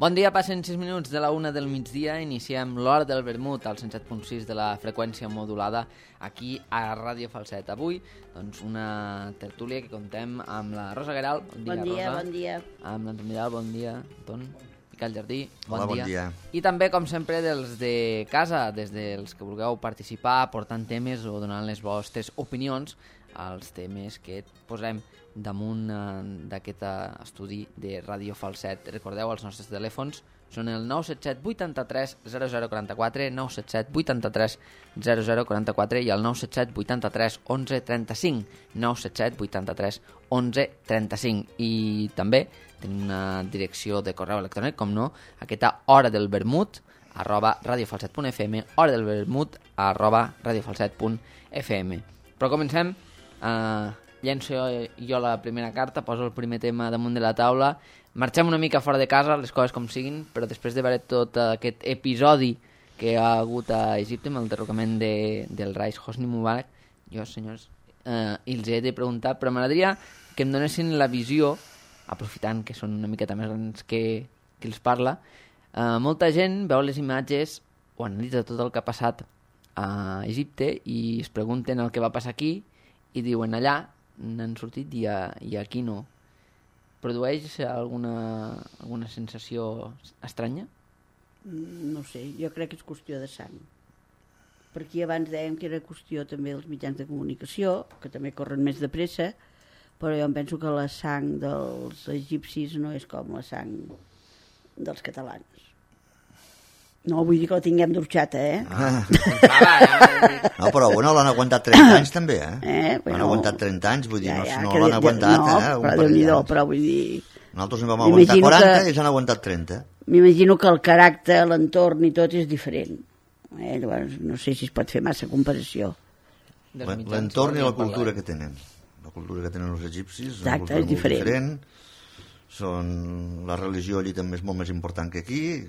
Bon dia, passen 6 minuts de la 1 del migdia, iniciem l'Hora del Vermut al 107.6 de la freqüència modulada aquí a Ràdio Falset. Avui, doncs, una tertúlia que contem amb la Rosa Guerau. Bon dia, Rosa. Bon dia. Amb l'Anton Vidal, bon dia, Anton. Miquel Jardí, bon dia. I també, com sempre, dels de casa, des dels que vulgueu participar, portant temes o donant les vostres opinions als temes que posem damunt d'aquest estudi de Ràdio Falset. Recordeu, els nostres telèfons són el 977 83 0044, 977 83 0044 i el 977 83 11 35, 977 83 11 35. I també tenim una direcció de correu electrònic, com no, aquesta hora del vermut @radiofalset.fm, hora del vermut @radiofalset.fm. Però comencem. Llenço jo la primera carta, poso el primer tema damunt de la taula. Marxem una mica fora de casa, les coses com siguin, però després de veure tot aquest episodi que hi ha hagut a Egipte amb el derrocament del Rais Hosni Mubarak, jo, senyors, els he de preguntar, però m'agradaria que em donessin la visió, aprofitant que són una miqueta més grans que els parla. Molta gent veu les imatges o analitza tot el que ha passat a Egipte i es pregunten el que va passar aquí i diuen allà n'han sortit i aquí no. Produeix alguna sensació estranya? No sé, jo crec que és qüestió de sang. Per aquí abans dèiem que era qüestió també dels mitjans de comunicació, que també corren més de pressa, però jo em penso que la sang dels egipcis no és com la sang dels catalans. No vull dir que la tinguem d'orxata, No, però bueno, l'han aguantat 30 anys també, Bueno, l'han aguantat 30 anys, vull dir, no l'han aguantat, No, però Déu-n'hi-do, però vull dir... Nosaltres en vam aguantar 40 i ells han aguantat 30. M'imagino que el caràcter, l'entorn i tot és diferent. Llavors, no sé si es pot fer massa comparació. L'entorn i la cultura que tenen. La cultura que tenen els egipcis és una cultura és diferent. La religió allí també és molt més important que aquí.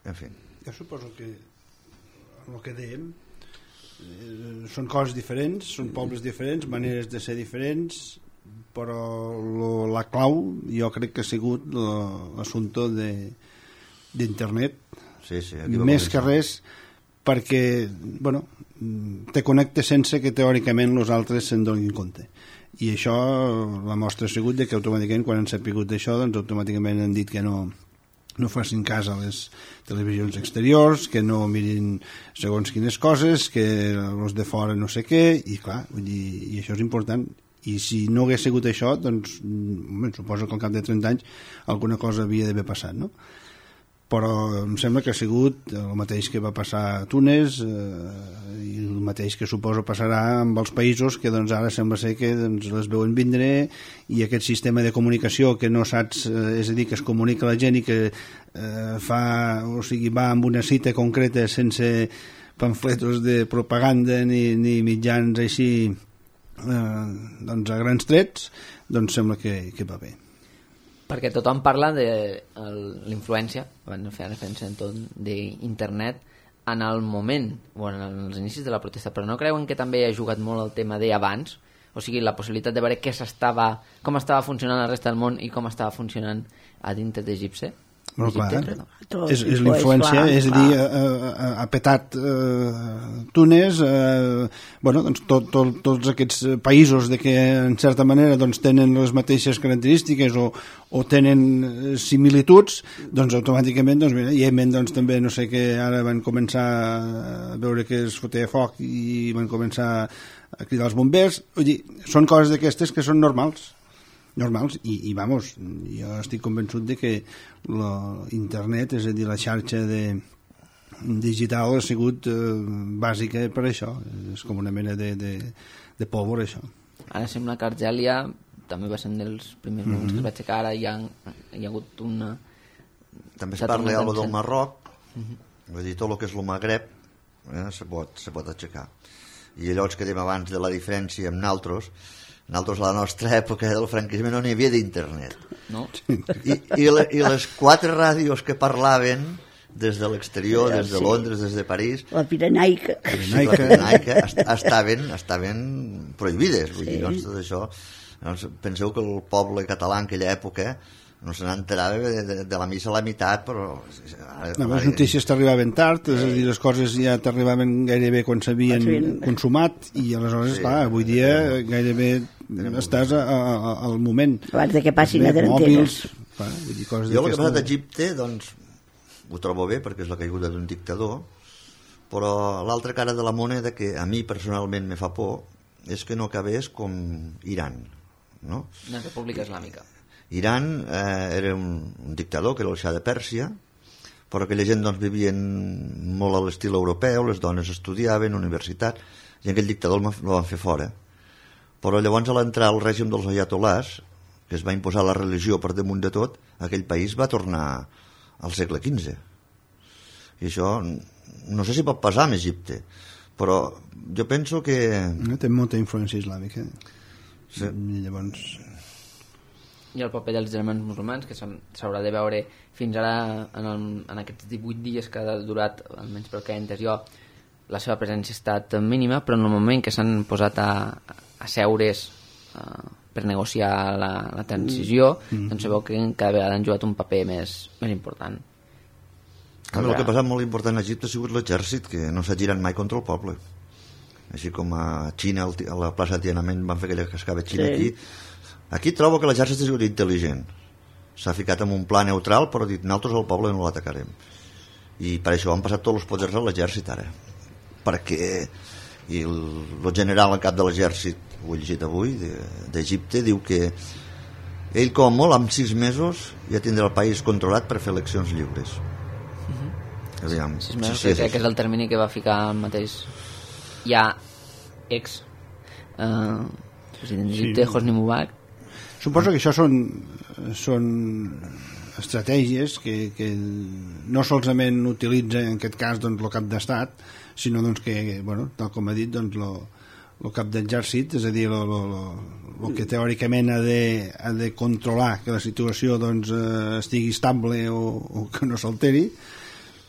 En fi. Jo suposo que el que dèiem són coses diferents, són pobles diferents, maneres de ser diferents, però la clau jo crec que ha sigut l'assumpte d'internet. Sí, més que res perquè te connectes sense que teòricament els altres se'n donin compte. I això, la mostra ha sigut que automàticament quan han sapigut d'això, doncs automàticament han dit que no facin cas a les televisions exteriors, que no mirin segons quines coses, que els de fora no sé què, i clar, vull dir, i això és important. I si no hagués sigut això, doncs suposo que al cap de 30 anys alguna cosa havia d'haver passat, no? Però em sembla que ha sigut el mateix que va passar a Túnez i el mateix que suposo passarà amb els països que doncs ara sembla ser que les veuen vindre, i aquest sistema de comunicació que no saps, és a dir, que es comunica a la gent i que va amb una cita concreta sense pamfletos de propaganda ni mitjans així doncs a grans trets, doncs sembla que va bé. Perquè tothom parla de l'influència, van fer referència d'internet en el moment o en els inicis de la protesta, però no creuen que també ha jugat molt el tema d'abans? O sigui, la possibilitat de veure com estava funcionant la resta del món i com estava funcionant a dintre d'Egipte? No, clar, és l'influència, és a dir, ha petat Túnez, doncs tots aquests països que en certa manera doncs, tenen les mateixes característiques o tenen similituds, doncs automàticament Iemen també no sé què, ara van començar a veure que es fotia foc i van començar a cridar els bombers. Vull dir, són coses d'aquestes que són normals, i vamos, jo estic convençut de que l'internet, és a dir, la xarxa digital ha sigut bàsica per això, és com una mena de pólvora, això. Ara sembla que Argèlia també va ser un dels primers moments que es va aixecar, ara hi ha hagut una... També es parla del Marroc, vull dir, tot el que és el Magreb se pot aixecar, i allò que dèiem abans de la diferència amb nosaltres, a la nostra època del franquisme no n'hi havia d'internet, no? I les 4 ràdios que parlaven des de l'exterior, des de Londres, des de París, la Pirenaica estaven prohibides, vull dir, doncs tot això. Penseu que el poble català en aquella època no se n'enterava de la missa a la meitat, però... Les notícies t'arribaven tard, és a dir, les coses ja t'arribaven gairebé quan s'havien consumat, i aleshores, clar, avui dia gairebé estàs al moment. Abans que passin a mòbils, jo el que ha passat a Egipte, doncs, ho trobo bé, perquè és la caiguda d'un dictador, però l'altra cara de la moneda que a mi personalment me fa por és que no acabés com Iran, no? Una república islàmica. Iran era un dictador, que era el Shah de Pèrsia, però aquella gent doncs, vivien molt a l'estil europeu, les dones estudiaven, universitat, i aquell dictador el van fer fora. Però llavors, a l'entrar al règim dels ayatolás, que es va imposar la religió per damunt de tot, aquell país va tornar al segle XV. I això, no sé si pot passar amb Egipte, però jo penso que... Té molta influència islàmica. Sí. I llavors... I el paper dels germans musulmans, que s'haurà de veure fins ara en aquests 18 dies que ha durat, almenys pel que he entès jo, la seva presència ha estat mínima, però en el moment que s'han posat a seure's per negociar la transició, doncs sabeu que cada vegada han jugat un paper més important. El que ha passat molt important a Egipte ha sigut l'exèrcit, que no s'ha girat mai contra el poble. Així com a Xina, a la plaça de Tiananmen van fer aquella cascada Xina aquí. Aquí trobo que l'exèrcit ha sigut intel·ligent. S'ha ficat en un pla neutral, però ha dit, nosaltres al poble no l'atacarem. I per això han passat tots els poders a l'exèrcit ara. Perquè el general en cap de l'exèrcit, ho he llegit avui, d'Egipte, diu que ell com a molt, en 6 mesos, ja tindrà el país controlat per fer eleccions lliures. Aviam, 6 mesos, crec que és el termini que va ficar el mateix ja president d'Egipte, Hosni Mubarak. Suposo que això són estratègies que no solament utilitza en aquest cas doncs, el cap d'estat, sinó doncs, que, bueno, tal com ha dit, doncs, el cap d'exèrcit, és a dir, el que teòricament ha de controlar que la situació doncs, estigui estable o que no s'alteri,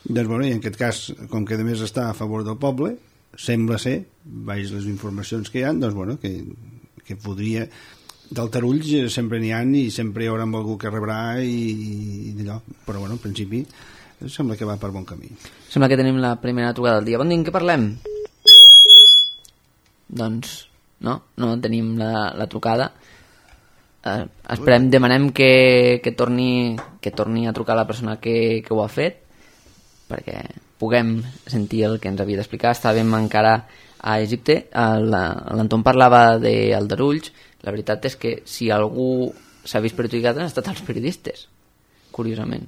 doncs, bueno, i en aquest cas, com que a més està a favor del poble, sembla ser, baix les informacions que hi ha, doncs, bueno, que podria... D'altarulls sempre n'hi ha i sempre hi haurà algú que rebrà i d'allò, però bueno, en principi sembla que va per bon camí. Sembla que tenim la primera trucada del dia. Bon dia, en què parlem? Doncs no tenim la trucada. Esperem, demanem que torni a trucar la persona que ho ha fet, perquè puguem sentir el que ens havia d'explicar. Estàvem encara a Egipte, l'Anton parlava d'aldarulls. La veritat és que si algú s'ha vist perjudicat han estat els periodistes, curiosament.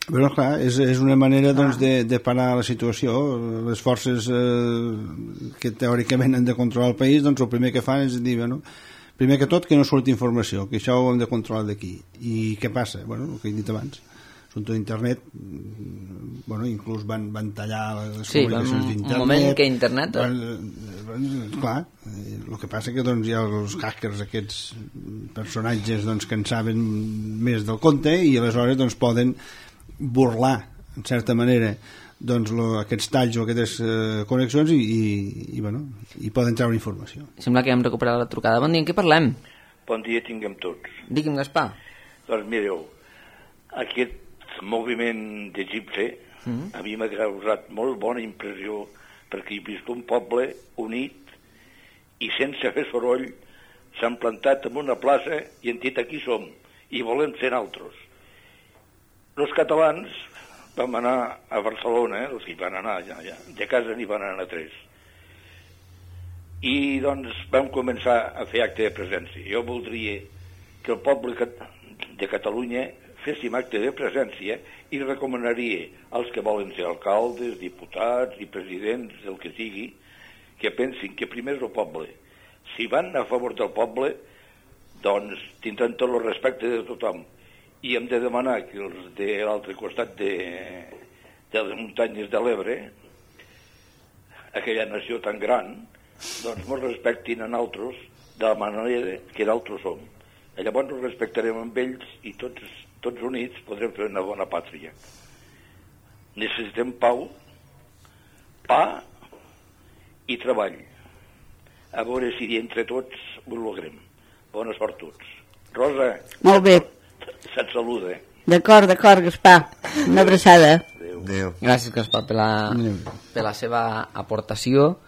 Però clar, és una manera doncs, de parar la situació. Les forces que teòricament han de controlar el país, doncs el primer que fan és dir, bueno, primer que tot que no surti informació, que això ho hem de controlar d'aquí. I què passa? Bueno, el que he dit abans, assumpte d'internet, bueno, inclús van tallar les comunicacions d'internet. Un moment que internet... Clar, el que passa que doncs, hi ha els hackers, aquests personatges doncs, que en saben més del compte i aleshores doncs, poden burlar, en certa manera, doncs, aquests talls o aquestes connexions i poden treure informació. Sembla que hem recuperat la trucada. Bon dia, en què parlem? Bon dia tinguem tots. Digui'm, Gaspar. Doncs mireu, aquest moviment d'Egipte a mi m'ha causat molt bona impressió perquè he vist un poble unit i sense fer soroll s'han plantat en una plaça i han dit aquí som i volem ser altres. Els catalans vam anar a Barcelona, els que van anar ja, de casa n'hi van anar 3 i doncs vam començar a fer acte de presència. Jo voldria que el poble de Catalunya féssim acte de presència i recomanaria als que volen ser alcaldes, diputats i presidents, el que sigui, que pensin que primer és el poble. Si van a favor del poble, doncs tindran tot el respecte de tothom. I hem de demanar que els de l'altre costat de les muntanyes de l'Ebre, aquella nació tan gran, doncs ens respectin a nosaltres de la manera que nosaltres som. Llavors ens respectarem amb ells i tots units podrem fer una bona pàtria. Necessitem pau, pa i treball. A veure si entre tots ho logrem. Bona sort tots. Rosa, molt bé. Se't saluda, D'acord, Gaspar. Una abraçada. Adéu. Gràcies, Gaspar, per la seva aportació.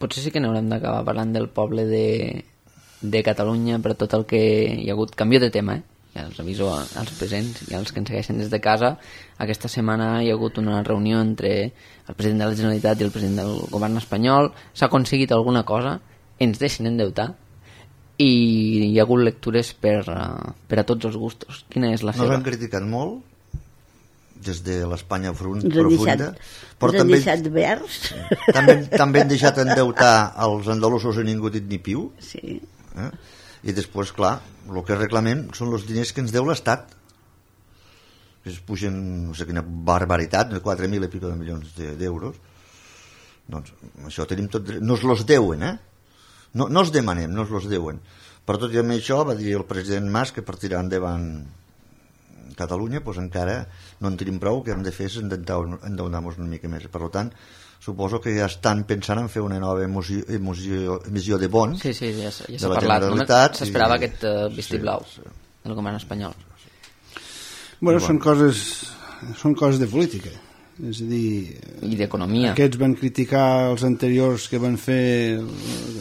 Potser sí que n'haurem d'acabar parlant del poble de Catalunya per tot el que hi ha hagut. Canvio de tema, ja els aviso als presents i als que ens segueixen des de casa. Aquesta setmana hi ha hagut una reunió entre el president de la Generalitat i el president del govern espanyol. S'ha aconseguit alguna cosa, ens deixen endeutar, i hi ha hagut lectures per a tots els gustos. Quina és la seva? Nos han criticat molt des de l'Espanya Ens profunda, però han deixat verds. també han deixat endeutar els andalusos i ningú ha dit ni piu. Sí. I després, clar, el que reclamem són els diners que ens deu l'Estat, que es pugen, no sé quina barbaritat, 4.000 i pico de milions d'euros. Doncs això tenim tot dret. No es los deuen, no els demanem, no es los deuen. Per tot i amb això va dir el president Mas que per tirar endavant Catalunya doncs encara no en tenim prou, que hem de fer és endeutar-nos una mica més. Per tant, suposo que ja estan pensant en fer una nova emissió de bons. Sí, ja s'ha de la parlat. Generalitat. S'esperava aquest vistiplau del govern espanyol. Bueno, són coses de política. És a dir, i d'economia. Aquests van criticar els anteriors que van fer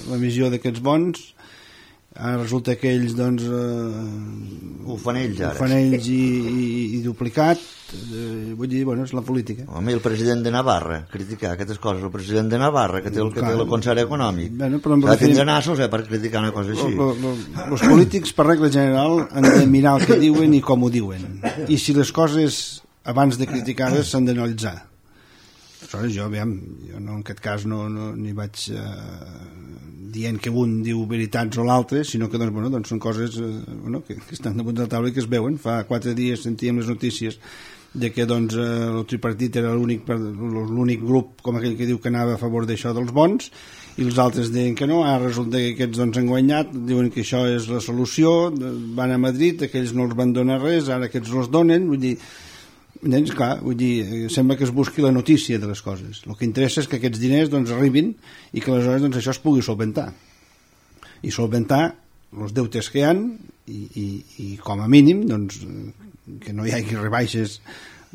l'emissió d'aquests bons. Ara resulta que ells doncs ho fan ells ara. Ho fan ells i duplicat. Vull dir, bueno, és la política. Home, el president de Navarra criticar aquestes coses, el president de Navarra que té el concert econòmic, s'ha de tindre nassos per criticar una cosa així. Els polítics per regla general han de mirar el que diuen i com ho diuen, i si les coses abans de criticar-les s'han d'analitzar. Aleshores jo no, en aquest cas no n'hi vaig dient que un diu veritats o l'altre, sinó que doncs són coses que estan damunt de la taula i que es veuen. Fa 4 dies sentíem les notícies de que el tripartit era l'únic grup, com aquell que diu que anava a favor d'això dels bons, i els altres deien que no. Ara resulta que aquests han guanyat, diuen que això és la solució, van a Madrid, aquells no els van donar res, ara aquests els donen. Vull dir, clar, sembla que es busqui la notícia de les coses. El que interessa és que aquests diners arribin i que aleshores això es pugui solventar els deutes que hi ha i com a mínim que no hi hagi rebaixes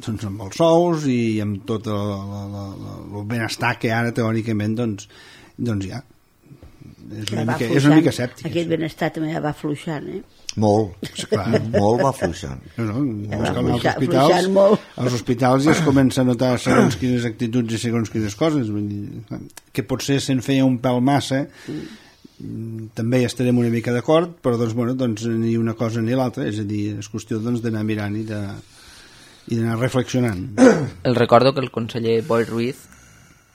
amb els sous i amb tot el benestar que ara teòricament hi ha. És una mica escèptic. Aquest benestar també va fluixant, Molt, clar, molt va fluixant. Als hospitals ja es comença a notar segons quines actituds i segons quines coses. Vull dir, que potser se'n feia un pèl massa, també hi estarem una mica d'acord, però ni una cosa ni l'altra, és a dir, és qüestió d'anar mirant i d'anar reflexionant. El recordo que el conseller Boi Ruiz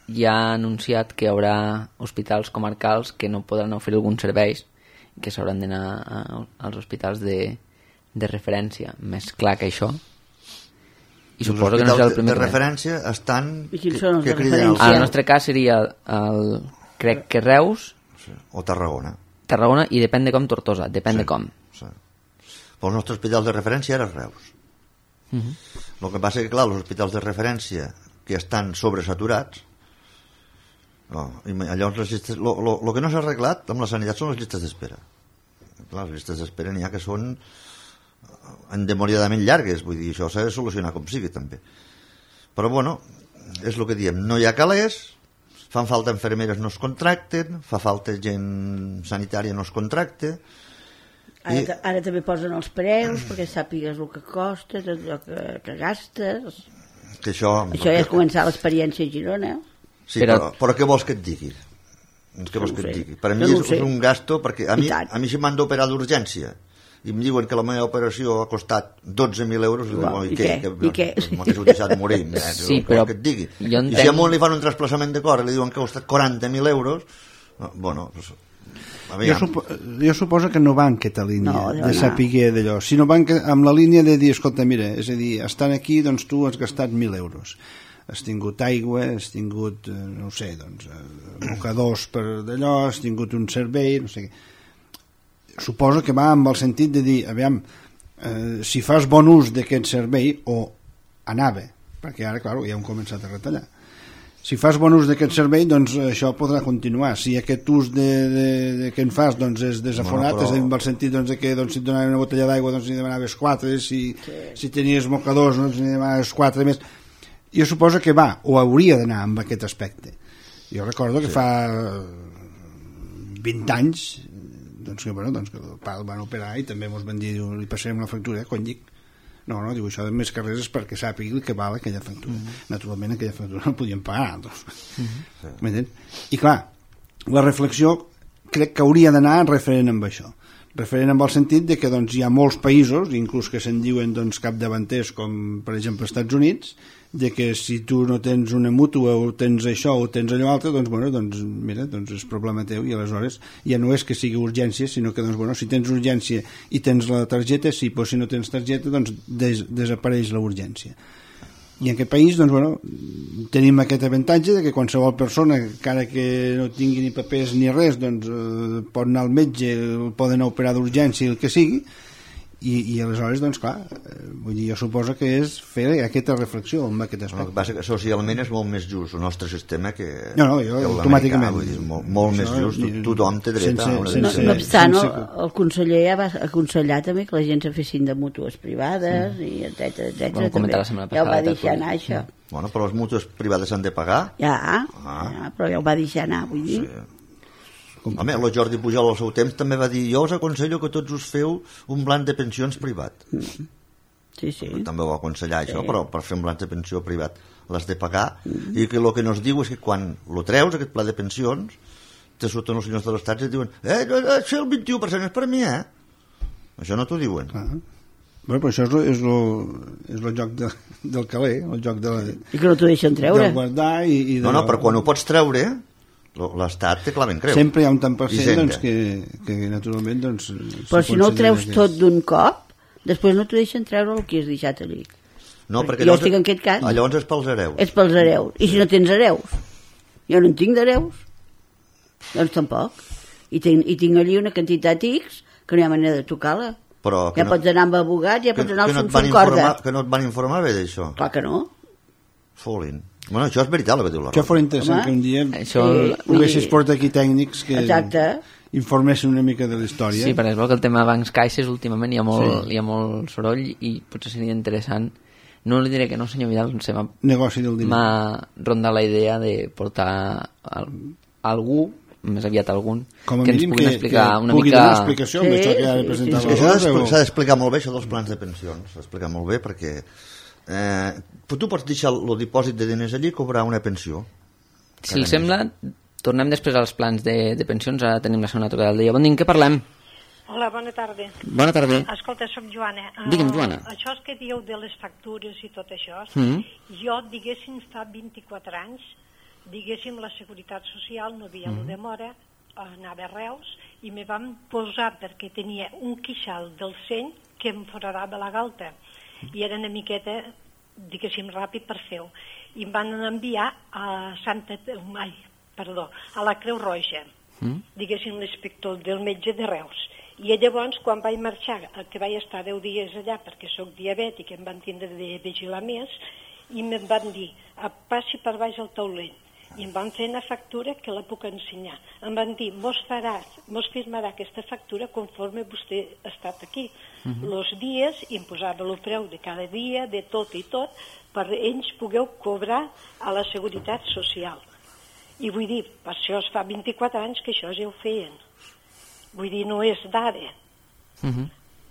ja ha anunciat que hi haurà hospitals comarcals que no podran oferir alguns serveis, que s'hauran d'anar als hospitals de referència. Més clar que això. I suposo que no serà el primer. De referència estan... I quins són els de referència? En el nostre cas seria crec que Reus o Tarragona, i depèn de com Tortosa, depèn de com. Sí. Però el nostre hospital de referència era Reus. El que passa que, clar, els hospitals de referència que estan sobresaturats, llavors les llistes, el que no s'ha arreglat amb la sanitat són les llistes d'espera. Clar, les llistes d'espera n'hi ha que són endemoniadament llargues, vull dir, això s'ha de solucionar com sigui també. Però és el que diem, no hi ha calés, fan falta infermeres, no es contracten, fa falta gent sanitària, no es contracta. Ara també posen els preus perquè sàpigues el que costa, el que gastes. Que això ja és començar l'experiència a Girona. Sí, però què vols que et digui? Per a mi és un gasto, perquè a mi si m'han d'operar d'urgència i em diuen que la meva operació ha costat 12.000 euros, i què? M'hagués deixat morir. Sí, però que et digui. I si a un li fan un trasplaçament de cor i li diuen que ha costat 40.000 euros, jo suposo que no va en aquesta línia de saber d'allò, sinó van amb la línia de dir, escolta, mira, és a dir, estan aquí, doncs tu has gastat 1.000 euros, has tingut aigua, has tingut, no sé, mocadors per d'allò, has tingut un servei, no sé què. Suposo que va amb el sentit de dir, aviam, si fas bon ús d'aquest servei, o anava, perquè ara, clar, ja hem començat a retallar. si fas bon ús d'aquest servei, doncs això podrà continuar. Si aquest ús que en fas doncs, és desafonat, és en el sentit doncs, que doncs, si et donaven una botella d'aigua doncs, n'hi demanaves 4, si tenies mocadors doncs, n'hi demanaves 4 més. Jo suposo que va, o hauria d'anar amb aquest aspecte. Jo recordo que fa 20 anys doncs, que el pal van operar i també ens van dir, li passarem la factura, quan dic no, diu, això de més carrers és perquè sàpigui que val aquella factura. Naturalment aquella factura no podien pagar, doncs. I clar, la reflexió crec que hauria d'anar referent amb això, referent amb el sentit de que doncs, hi ha molts països, inclús que se'n diuen doncs, capdavanters, com per exemple els Estats Units, de que si tu no tens una mútua o tens això o tens allò altre, doncs, bueno, doncs mira, doncs és problema teu, i aleshores ja no és que sigui urgència, sinó que doncs, bueno, si tens urgència i tens la targeta, sí, però si no tens targeta doncs desapareix la urgència. I en aquest país doncs, bueno, tenim aquest avantatge de que qualsevol persona, encara que no tingui ni papers ni res, doncs, pot anar al metge, poden operar d'urgència, el que sigui, i aleshores, doncs clar, vull dir, jo suposo que és fer aquesta reflexió amb aquest aspecte. El que passa que socialment és molt més just el nostre sistema que jo automàticament vull dir, molt més just, tothom té dret a una no obstant, el conseller ja va aconsellar també que la gent se fessin de mútues privades i etcètera, ja ho va deixar anar això. Bueno, però les mútues privades s'han de pagar? Ja, però ja ho va deixar anar, vull dir. Home, el Jordi Pujol al seu temps també va dir, jo us aconsello que tots us feu un blanc de pensions privat. Sí. També ho va aconsellar això, però per fer un blanc de pensió privat l'has de pagar, i que el que nos diu és que quan lo treus, aquest pla de pensions, te surten els senyors de l'Estat i et diuen això el 21% és per mi, Això no t'ho diuen. Bueno, però això és el joc del caler, el joc I que no t'ho deixen treure. De guardar i no, però quan ho pots treure l'Estat te claven creu. Sempre hi ha un tant per cent doncs, que naturalment doncs, però si no ho treus tot d'un cop, després no t'ho deixen treure el que has deixat allí. No, perquè jo estic en aquest cas. Llavors és pels hereus. És pels hereus. I si no tens hereus? Jo no en tinc d'hereus. Doncs tampoc. I tinc allí una quantitat X que no hi ha manera de tocar-la. Ja pots anar amb abogat, ja pots anar al Foncorda. Que no et van informar bé d'això? Clar que no. Folin. Bueno, això és veritat el que diu la Rosa. Això fos interessant que un dia poguessis portar aquí tècnics que informessin una mica de la història. Sí, per exemple, que el tema bancs caixes últimament hi ha molt soroll i potser seria interessant. No li diré que no, senyor Vidal, m'ha rondat la idea de portar algú, més aviat algun, que ens pugui explicar una mica... Pugui donar explicació amb això que ha de presentar la Rosa. S'ha d'explicar molt bé això dels plans de pensions, s'ha d'explicar molt bé perquè... tu pots deixar el dipòsit de diners allí i cobrar una pensió. Si els sembla, tornem després als plans de pensions. Ara tenim la segona trucada del dia. Bon dia, en què parlem? Hola, bona tarda. Bona tarda. Escolta, soc Joana. Digue'm, Joana. Això que dieu de les factures i tot això, jo, diguéssim, fa 24 anys, diguéssim, la Seguretat Social no havia la demora, anava a Reus, i me van posar, perquè tenia un queixal del seny que em foradava la galta. I era una miqueta, diguéssim, ràpid per fer-ho. I em van enviar a la Creu Roja, diguéssim, l'inspector del metge de Reus. I llavors, quan vaig marxar, que vaig estar 10 dies allà, perquè sóc diabètic, em van tindre de vigilar més, i em van dir, passi per baix al taulell. I em van fer una factura que la puc ensenyar. Em van dir, mos firmarà aquesta factura conforme vostè ha estat aquí. Els dies, i em posava el preu de cada dia, de tot i tot, per ells pugueu cobrar a la Seguretat Social. I vull dir, per això es fa 24 anys que això ja ho feien. Vull dir, no és d'ara.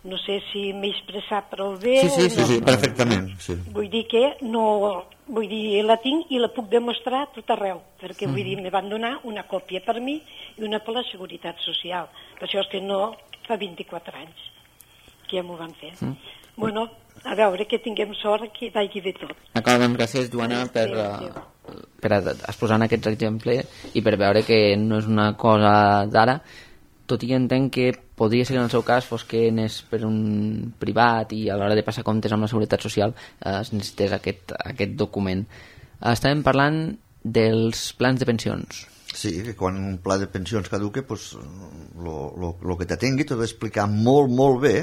No sé si m'he expressat prou bé. Sí, perfectament. Sí. Vull dir que no... Vull dir, la tinc i la puc demostrar a tot arreu, perquè vull dir, me van donar una còpia per mi i una per la Seguretat Social. Per això és que no fa 24 anys que ja m'ho van fer. Bueno, a veure, que tinguem sort que vagi bé tot. D'acord, doncs gràcies, Joana, per exposar aquests exemples i per veure que no és una cosa d'ara, tot i que entenc que podria ser que en el seu cas fos que anés per un privat i a l'hora de passar comptes amb la Seguretat Social es necessités aquest document. Estàvem parlant dels plans de pensions. Sí, que quan un pla de pensions caduque, pues, lo que t'atengui t'ho d'explicar molt, molt bé,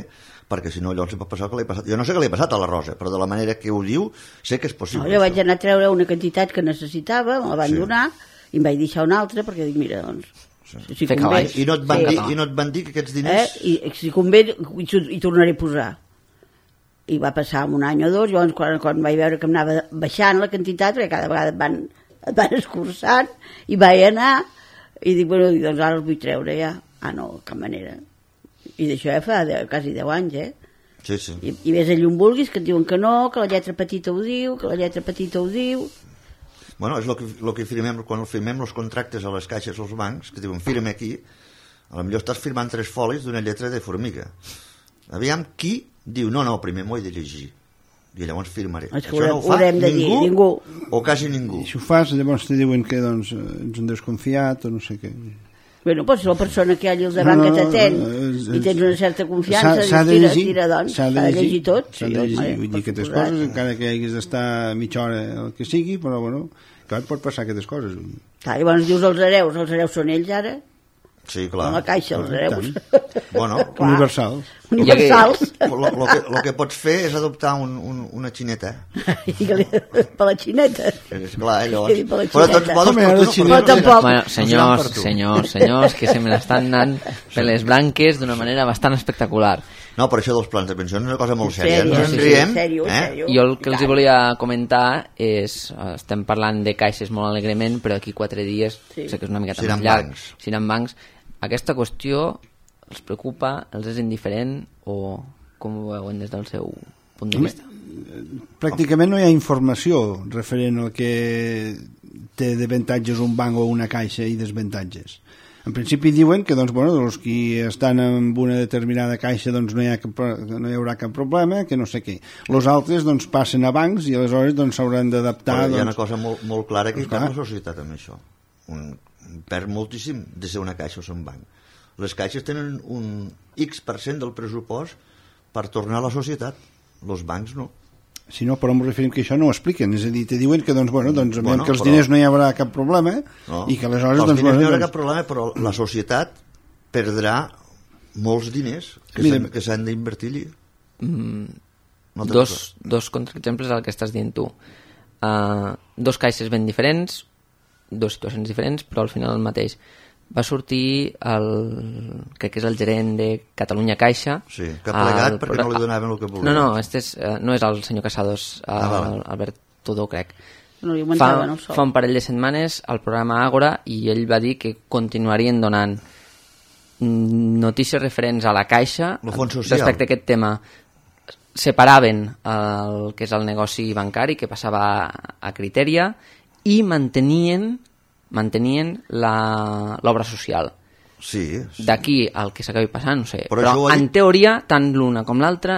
perquè si no llavors li pot passar el que li ha passat. Jo no sé què li ha passat a la Rosa, però de la manera que ho diu sé que és possible. Jo vaig anar a treure una quantitat que necessitava, me la van donar, i em vaig deixar una altra, perquè dic, mira, doncs... Si convé, I no et van dir que aquests diners... I si convé, hi tornaré a posar. I va passar un any o dos, llavors quan vaig veure que em anava baixant la quantitat, perquè cada vegada et van escurçant, i vaig anar, i dic, bueno, doncs ara els vull treure ja. Ah, no, cap manera. I d'això ja fa quasi 10 anys, Sí, sí. I ves allà on vulguis, que et diuen que no, que la lletra petita ho diu, que la lletra petita ho diu... Bueno, és el que firmem, quan firmem els contractes a les caixes o als bancs, que diuen, firma aquí, a lo millor estàs firmant 3 folis d'una lletra de formiga. Aviam qui diu, no, primer m'ho he de llegir. I llavors firmaré. Això no ho fa ningú. O quasi ningú. I si ho fas, llavors te diuen que ets un desconfiat o no sé què. Bueno, doncs la persona que hi ha allà al davant que t'atén i tens una certa confiança, s'ha de llegir, doncs, s'ha de llegir tot. S'ha de llegir, vull dir que aquestes coses, encara que haguis d'estar mitja hora el que sigui, però bueno, clar, pot passar aquestes coses. Clar, llavors dius els hereus són ells ara? Sí, clar. A la caixa, els hereus. Bueno, universals. Lo que pots fer és adoptar una xineta. Per la xineta. Esclar, llavors. Però tots modos... Bueno, senyors, que se me l'estan anant per les branques d'una manera bastant espectacular. No, per això dels plans de pensió és una cosa molt sèria. Ens en riem. Jo el que els volia comentar és, estem parlant de caixes molt alegrement, però aquí 4 dies, sé que és una miqueta més llarg, seran bancs. Aquesta qüestió els preocupa, els és indiferent o com ho veuen des del seu punt de vista? Pràcticament no hi ha informació referent al que té d'avantatges un banc o una caixa i desavantatges. En principi diuen que els qui estan en una determinada caixa no hi haurà cap problema, que no sé què. Els altres passen a bancs i aleshores s'hauran d'adaptar. Hi ha una cosa molt clara que hi perd la societat amb això. Perd moltíssim de ser una caixa o ser un banc. Les caixes tenen un X% del pressupost per tornar a la societat. Els bancs no. Si no, però em referim que això no ho expliquen. És a dir, te diuen que, que els diners no hi haurà cap problema i que aleshores... Els diners no hi haurà cap problema, però la societat perdrà molts diners que s'han d'invertir allí. Dos contraexemples al que estàs dient tu. 2 caixes ben diferents, 2 situacions diferents, però al final el mateix. Va sortir crec que és el gerent de Catalunya Caixa. Sí, que ha plegat perquè no li donaven el que volia. No, no és el senyor Casados, Albert Tudó, crec. No li augmentaven el sou. Fa un parell de setmanes al programa Àgora i ell va dir que continuarien donant notícies referents a la Caixa respecte a aquest tema. Separaven el que és el negoci bancari, que passava a Criteria, i mantenien l'obra social. Sí. D'aquí al que s'acabi passant, no sé. Però en teoria, tant l'una com l'altra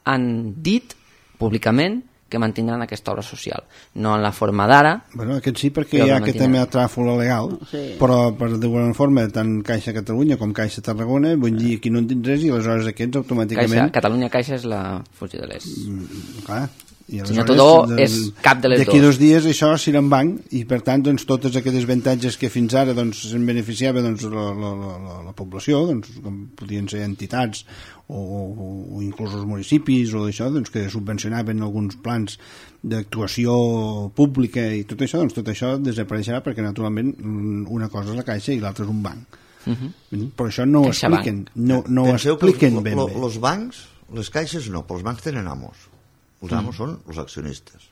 han dit públicament que mantindran aquesta obra social. No en la forma d'ara. Bueno, aquest sí, perquè hi ha aquest tema de tràfula legal, però per d'alguna forma, tant Caixa Catalunya com Caixa Tarragona, vull dir, aquí no en tens res i aleshores aquests automàticament... Catalunya Caixa és la fusió de les... Clar. El senyor Tudó és cap de les d'aquí 2 dies això serà en banc i per tant totes aquestes avantatges que fins ara se'n beneficiava la població, com podien ser entitats o inclús els municipis o d'això, que subvencionaven alguns plans d'actuació pública i tot això desapareixerà perquè naturalment una cosa és la Caixa i l'altra és un banc. Però això no ho expliquen, no ho expliquen ben bé. Els bancs, les caixes no, però els bancs tenen amos. Els amos són els accionistes.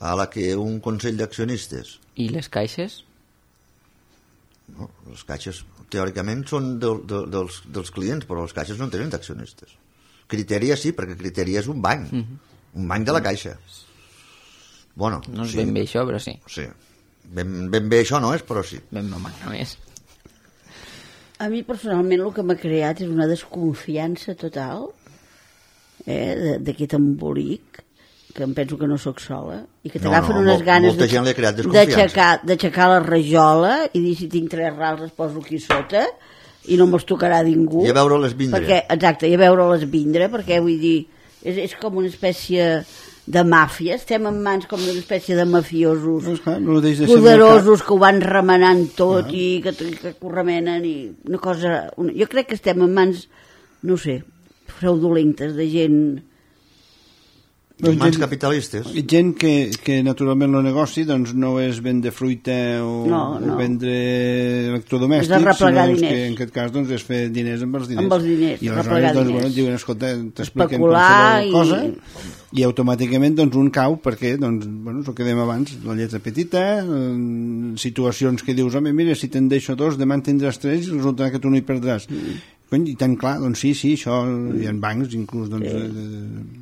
A la que un consell d'accionistes... I les caixes? No, les caixes teòricament són dels clients, però les caixes no tenen d'accionistes. Criteria sí, perquè Criteria és un banc. Un banc de la Caixa. Bueno, no és ben bé això, però sí. Sí. Ben bé això no és, però sí. Ben bé no és. A mi personalment el que m'ha creat és una desconfiança total d'aquest embolic, que em penso que no sóc sola, i que t'agafen unes ganes d'aixecar la rajola i dir si tinc 3 rals es poso aquí sota i no me'ls tocarà ningú. I a veure-les vindre. Exacte, i a veure-les vindre, perquè vull dir, és com una espècie de màfia, estem en mans com una espècie de mafiosos no poderosos que ho van remenant tot i que ho remenen i una cosa... Jo crec que estem en mans, no sé, fraudulentes de gent... Mans capitalistes. Gent que naturalment el negoci doncs, no és vendre fruita o vendre electrodomèstics, sinó que en aquest cas doncs, és fer diners amb els diners. Amb els diners, i aleshores doncs, diuen, escolta, t'expliquen qualsevol cosa i automàticament doncs, un cau perquè, doncs, és el que dèiem abans, la lletra petita, situacions que dius, home, mira, si te'n deixo 2, demà en tindràs 3 i resulta que tu no hi perdràs. I tan clar, doncs sí, això hi ha bancs inclús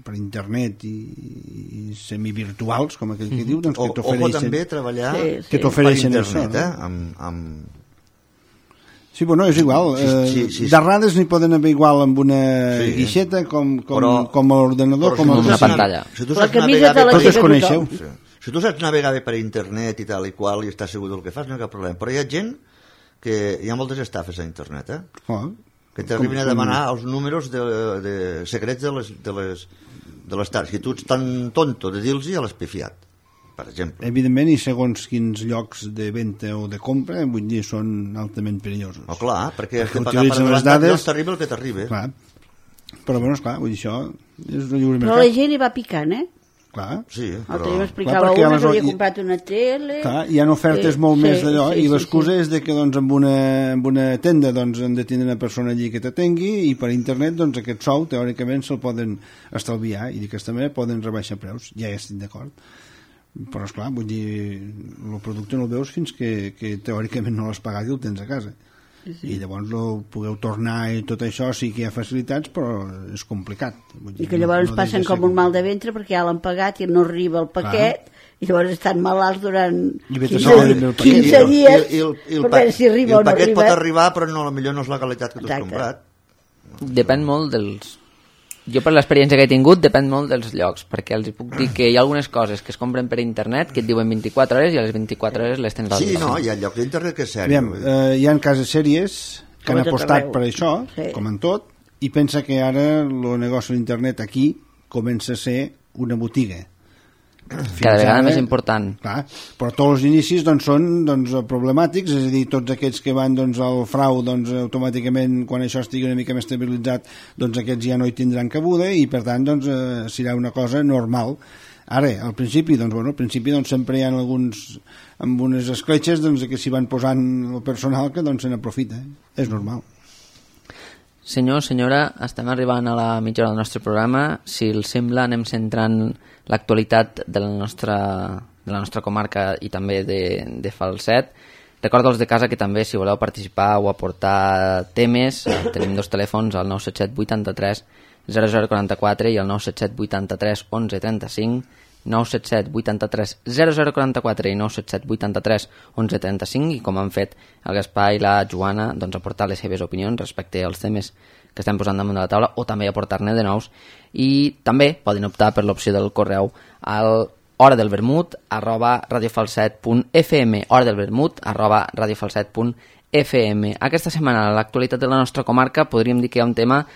per internet i semivirtuals, com aquell que diu, doncs, que t'ofereixen... O també treballar que t'ofereixen per internet, això, Sí, bueno, és igual. D'errades n'hi poden haver igual amb una guixeta com a l'ordenador, com a una pantalla. Si tu saps navegar si tu saps navegar bé per internet i tal i qual i estàs segur del que fas, no hi ha cap problema. Però hi ha gent que hi ha moltes estafes a internet, que t'arriben a demanar els números de secrets de les tardes. I tu ets tan tonto de dir-los i a l'espifiat, per exemple. Evidentment, i segons quins llocs de venda o de compra, vull dir, són altament perillosos. Oh, clar, perquè has de pagar per adelantat i t'arriba el que t'arriba. Clar. Però, bueno, esclar, vull dir, això és un lliure mercat. Però la gent hi va picant, Clar. Sí, però... m'explicava una que havia comprat una tele... Clar, hi ha ofertes molt més d'allò i l'excusa és de que doncs, amb una tenda doncs, han de tenir una persona allí que t'atengui i per internet doncs, aquest sou teòricament se'l poden estalviar i d'aquesta manera poden rebaixar preus. Ja hi estic d'acord. Però, esclar, vull dir, el producte no el veus fins que teòricament no l'has pagat i el tens a casa. I llavors podeu tornar i tot això sí que hi ha facilitats, però és complicat. I que llavors passen com un mal de ventre perquè ja l'han pagat i no arriba el paquet i llavors estan malalts durant 15 dies per veure si arriba o no arriba. El paquet pot arribar però potser no és la qualitat que tu has comprat. Depèn molt dels... Jo per l'experiència que he tingut depèn molt dels llocs, perquè els puc dir que hi ha algunes coses que es compren per internet que et diuen 24 hores i a les 24 hores les tens al Sí, no, hi ha llocs d'internet que és sèrio. Hi ha cases sèries que han apostat per això, com en tot, i pensa que ara el negoci d'internet aquí comença a ser una botiga. Cada vegada més important. Clar, però tots els inicis doncs, són problemàtics, és a dir, tots aquests que van al frau, automàticament quan això estigui una mica més estabilitzat, aquests ja no hi tindran cabuda i per tant serà una cosa normal. Ara, al principi, sempre hi ha amb unes escletxes que s'hi van posant el personal que se n'aprofita, és normal. Senyor, senyora, estem arribant a la mitja hora del nostre programa. Si els sembla, anem centrant l'actualitat de la nostra comarca i també de Falset. Recorda'ls de casa que també, si voleu participar o aportar temes, tenim 2 telèfons, el 977 83 0044 i el 977 83 11 35, 977 83 0044 i 977 83 11 35, i com han fet el Gaspar i la Joana, aportar les seves opinions respecte als temes que estem posant damunt de la taula o també aportar-ne de nous. I també poden optar per l'opció del correu al horadelvermut@radiofalset.fm, horadelvermut@radiofalset.fm. Aquesta setmana, a l'actualitat de la nostra comarca, podríem dir que hi ha un tema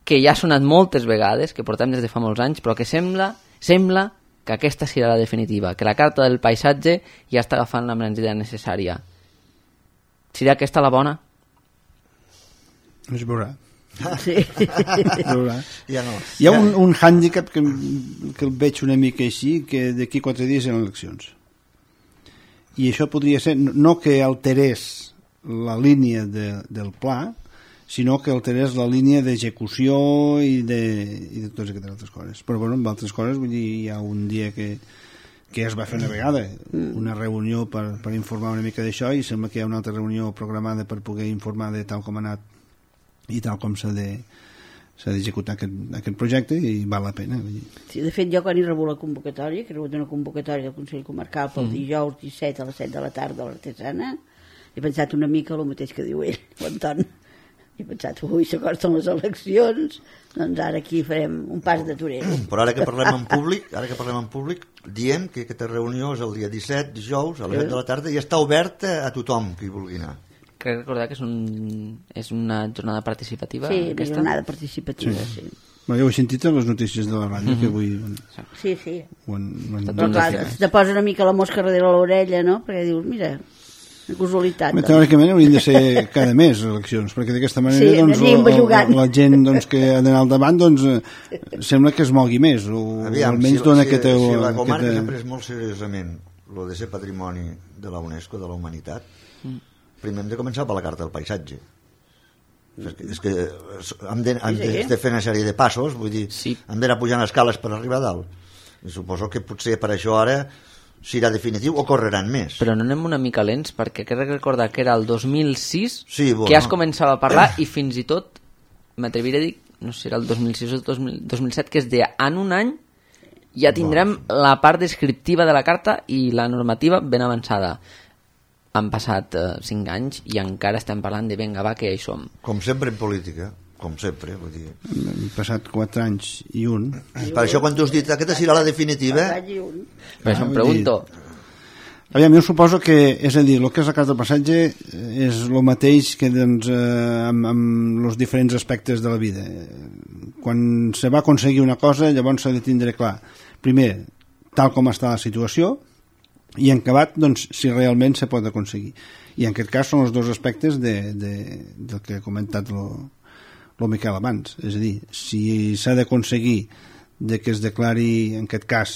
que ja ha sonat moltes vegades, que portem des de fa molts anys, però que sembla que aquesta serà la definitiva, que la carta del paisatge ja està agafant la embranzida necessària. Serà aquesta la bona? Es veurà. Sí. Ja no. Hi ha un hàndicap que el veig una mica així, que d'aquí 4 dies hi ha eleccions. I això podria ser, no que alterés la línia del pla, sinó que alterés la línia d'execució i de totes aquestes altres coses. Però bueno, amb altres coses, vull dir, hi ha un dia que es va fer una vegada, una reunió per informar una mica d'això, i sembla que hi ha una altra reunió programada per poder informar de tal com ha anat i tal com s'ha d'executar aquest projecte, i val la pena. Sí, de fet, jo quan he rebut la convocatòria, que he rebut una convocatòria del Consell Comarcal pel dijous 17 a les 7 de la tarda a l'Artesana, he pensat una mica el mateix que diu ell, l'Anton. He pensat, ui, s'acosten les eleccions, doncs ara aquí farem un pas de torero. Però ara que parlem en públic, diem que aquesta reunió és el dia 17, dijous, a les 7 de la tarda, i està oberta a tothom que hi vulgui anar. Crec recordar que és una jornada participativa. Sí, una jornada participativa, sí. Bueno, jo ho he sentit a les notícies de la ràdio, que avui... Sí. Però clar, te posa una mica la mosca darrere l'orella, no? Perquè dius, mira, una casualitat. Teòricament haurien de ser cada mes eleccions, perquè d'aquesta manera la gent que ha d'anar al davant sembla que es mogui més, o almenys dona aquesta... Si la comarca s'ha pres molt seriosament el de ser patrimoni de la UNESCO, de la humanitat, primer hem de començar per la Carta del Paisatge. És que hem de fer una sèrie de passos, vull dir, hem d'anar pujant escales per arribar a dalt. I suposo que potser per això ara serà definitiu o correran més. Però no anem una mica lents, perquè crec recordar que era el 2006 que ja es començava a parlar i fins i tot, m'atreviré a dir, no sé si era el 2006 o el 2007, que es deia en un any ja tindrem la part descriptiva de la carta i la normativa ben avançada. Han passat 5 anys i encara estem parlant de venga, va, que ja hi som. Com sempre en política, com sempre, vull dir. Han passat 4 anys i un. Per això quan tu has dit aquesta serà la definitiva... Per això em pregunto. Aviam, jo suposo que, és a dir, el que és la carta del passatge és el mateix que amb els diferents aspectes de la vida. Quan se va aconseguir una cosa, llavors s'ha de tindre clar. Primer, tal com està la situació, i en acabat, doncs, si realment se pot aconseguir. I en aquest cas són els dos aspectes del que ha comentat el Miquel abans. És a dir, si s'ha d'aconseguir que es declari, en aquest cas,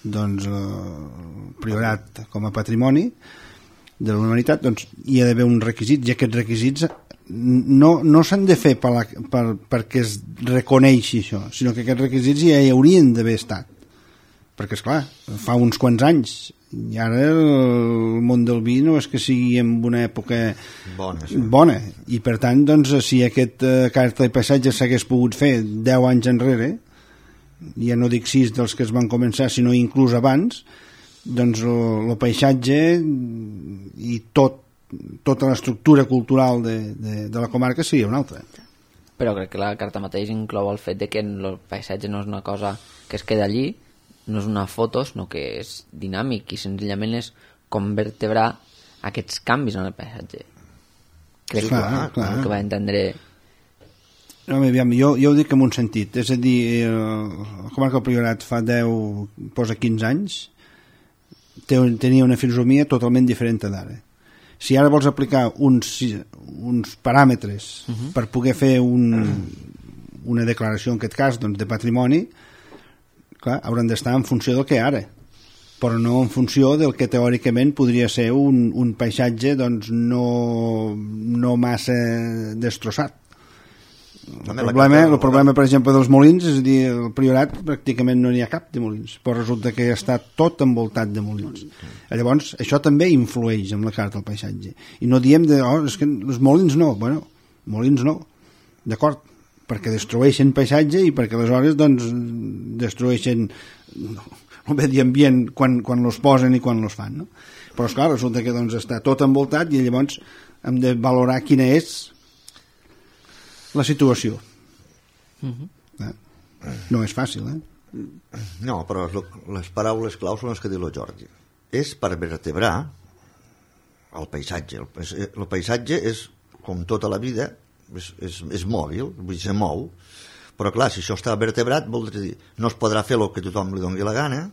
doncs, el Priorat com a patrimoni de la humanitat, doncs hi ha d'haver uns requisits, i aquests requisits no s'han de fer perquè es reconeixi això, sinó que aquests requisits ja hi haurien d'haver estat. Perquè, esclar, fa uns quants anys i ara el món del vi no és que sigui en una època bona. I per tant, doncs, si aquest carta de paisatge s'hagués pogut fer 10 anys enrere, ja no dic 6 dels que es van començar, sinó inclús abans, doncs el paisatge i tota l'estructura cultural de la comarca seria una altra. Però crec que la carta mateix inclou el fet de que el paisatge no és una cosa que es queda allí, no és una foto, sinó que és dinàmic i senzillament és com vertebrar aquests canvis en el paisatge. Crec que va entendre... No, aviam, jo ho dic en un sentit, és a dir, la comarca del Priorat fa 15 anys tenia una filosofia totalment diferent d'ara. Si ara vols aplicar uns paràmetres per poder fer una declaració, en aquest cas, doncs, de patrimoni, clar, hauran d'estar en funció del que ara, però no en funció del que teòricament podria ser un paisatge, doncs, no massa destrossat. El problema, per exemple, dels molins, és a dir, el Priorat pràcticament no n'hi ha cap de molins, però resulta que està tot envoltat de molins. Llavors, això també influeix en la carta del paisatge. I no diem és que els molins no. Bueno, molins no, d'acord, perquè destrueixen paisatge i perquè aleshores, doncs, destrueixen el medi ambient quan los posen i quan los fan, no? Però, esclar, resulta que, doncs, està tot envoltat i llavors hem de valorar quina és la situació. No és fàcil, No, però les paraules claus són les que diu el Jordi. És per vertebrar el paisatge. El paisatge és, com tota la vida, és mòbil, vull dir, se mou, però clar, si això està vertebrat, vol dir, no es podrà fer el que tothom li doni la gana,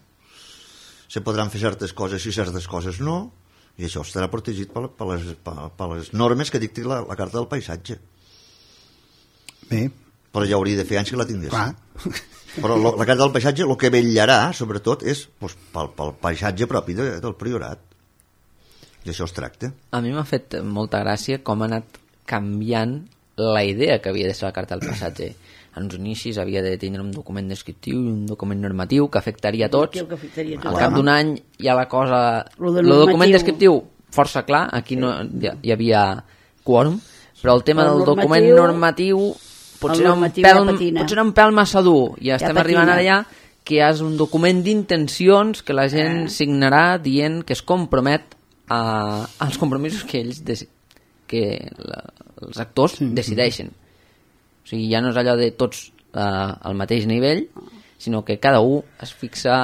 se podran fer certes coses i certes coses no, i això estarà protegit per les normes que dicti la Carta del Paisatge. Bé. Però ja hauria de fer anys que la tinguessin. Però la Carta del Paisatge el que vetllarà, sobretot, és pel paisatge propi del Priorat. I això es tracta. A mi m'ha fet molta gràcia com ha anat canviant la idea que havia de ser la Carta del Paisatge. En els inicis havia de tenir un document descriptiu i un document normatiu que afectaria a tots. Al cap d'un any ja la cosa... El document descriptiu força clar, aquí no hi havia quòrum, però el tema del document normatiu potser era un pèl massa dur i estem arribant ara ja que és un document d'intencions que la gent signarà dient que es compromet als compromisos que ells els actors decideixen. O sigui, ja no és allò de tots al mateix nivell, sinó que cada un es fixa...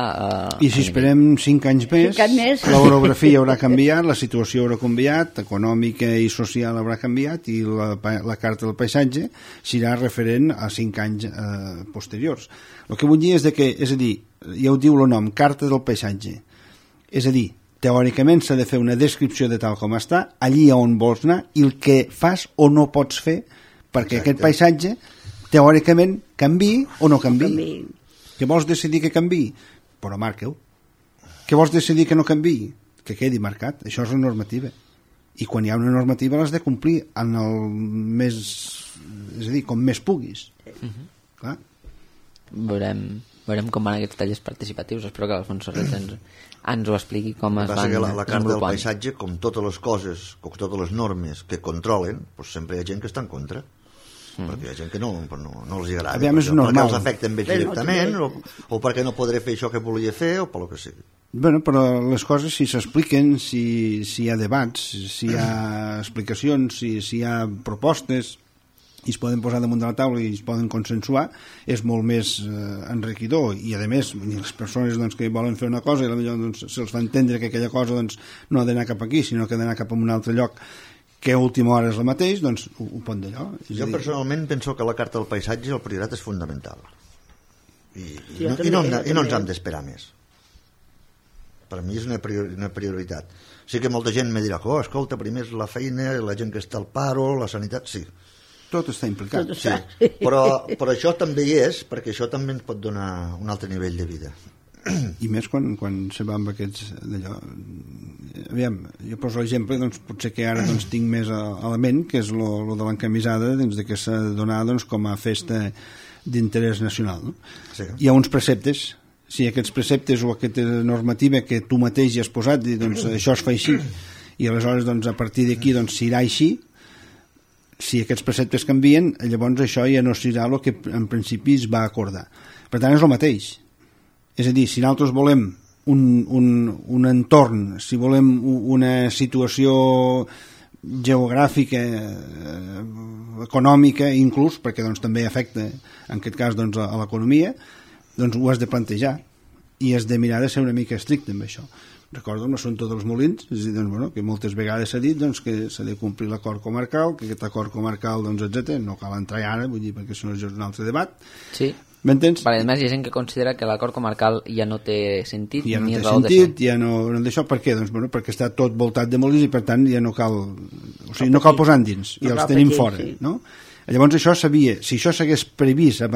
I si esperem 5 anys més, l'orografia haurà canviat, la situació haurà canviat, econòmica i social haurà canviat, i la carta del paisatge serà referent a 5 anys posteriors. El que vull dir és que, és a dir, ja ho diu el nom, carta del paisatge, és a dir, teòricament s'ha de fer una descripció de tal com està, allí on vols anar, i el que fas o no pots fer perquè aquest paisatge teòricament canviï o no canviï. Que vols decidir que canviï? Però marca-ho. Que vols decidir que no canviï? Que quedi marcat. Això és la normativa. I quan hi ha una normativa l'has de complir en el més... és a dir, com més puguis. Clar. Veurem com van aquests tallers participatius. Espero que l'Alfonso Serret ens ho expliqui com es van desenvolupant. La carta del paisatge, com totes les coses, com totes les normes que controlen, doncs sempre hi ha gent que està en contra. Perquè hi ha gent que no els agrada, perquè els afecten bé directament, o perquè no podré fer això que volia fer, o per lo que sigui. Bueno, però les coses, si s'expliquen, si hi ha debats, si hi ha explicacions, si hi ha propostes, i es poden posar damunt de la taula i es poden consensuar, és molt més enriquidor. I a més, les persones que volen fer una cosa i potser se'ls fa entendre que aquella cosa no ha d'anar cap aquí, sinó que ha d'anar cap a un altre lloc, que a última hora és el mateix, doncs ho pot d'allò. Jo personalment penso que la carta del paisatge, el Priorat, és fundamental. I no ens hem d'esperar més. Per mi és una prioritat. Sí que molta gent me dirà que, escolta, primer és la feina, la gent que està al paro, la sanitat, sí. Tot està implicat. Sí. Però això també hi és, perquè això també ens pot donar un altre nivell de vida. I més quan se va amb aquests d'allò. Aviam, jo poso l'exemple, potser que ara tinc més a la ment, que és lo de l'encamisada, que s'ha de donar com a festa d'interès nacional, no? Sí. Hi ha uns preceptes, si aquests preceptes o aquesta normativa que tu mateix hi has posat, això es fa així, i aleshores a partir d'aquí s'irà així. Si aquests preceptes canvien, llavors això ja no serà el que en principi es va acordar. Per tant, és el mateix. És a dir, si nosaltres volem un entorn, si volem una situació geogràfica, econòmica, inclús, perquè també afecta, en aquest cas, a l'economia, ho has de plantejar i has de mirar de ser una mica estricte amb això. Recordo l'assumpte dels molins, és a dir, que moltes vegades s'ha dit que s'ha de complir l'acord comarcal, que aquest acord comarcal, etc. No cal entrar ara, vull dir, perquè això és un altre debat. Sí. M'entens? A més, hi ha gent que considera que l'acord comarcal ja no té sentit, ja ni no té raó sentit, de ser. Ja no d'això. Per què? Perquè està tot voltat de molins i per tant ja no cal, no cal posar dins i els tenim fora, no? Llavors això si això s'hagués previst amb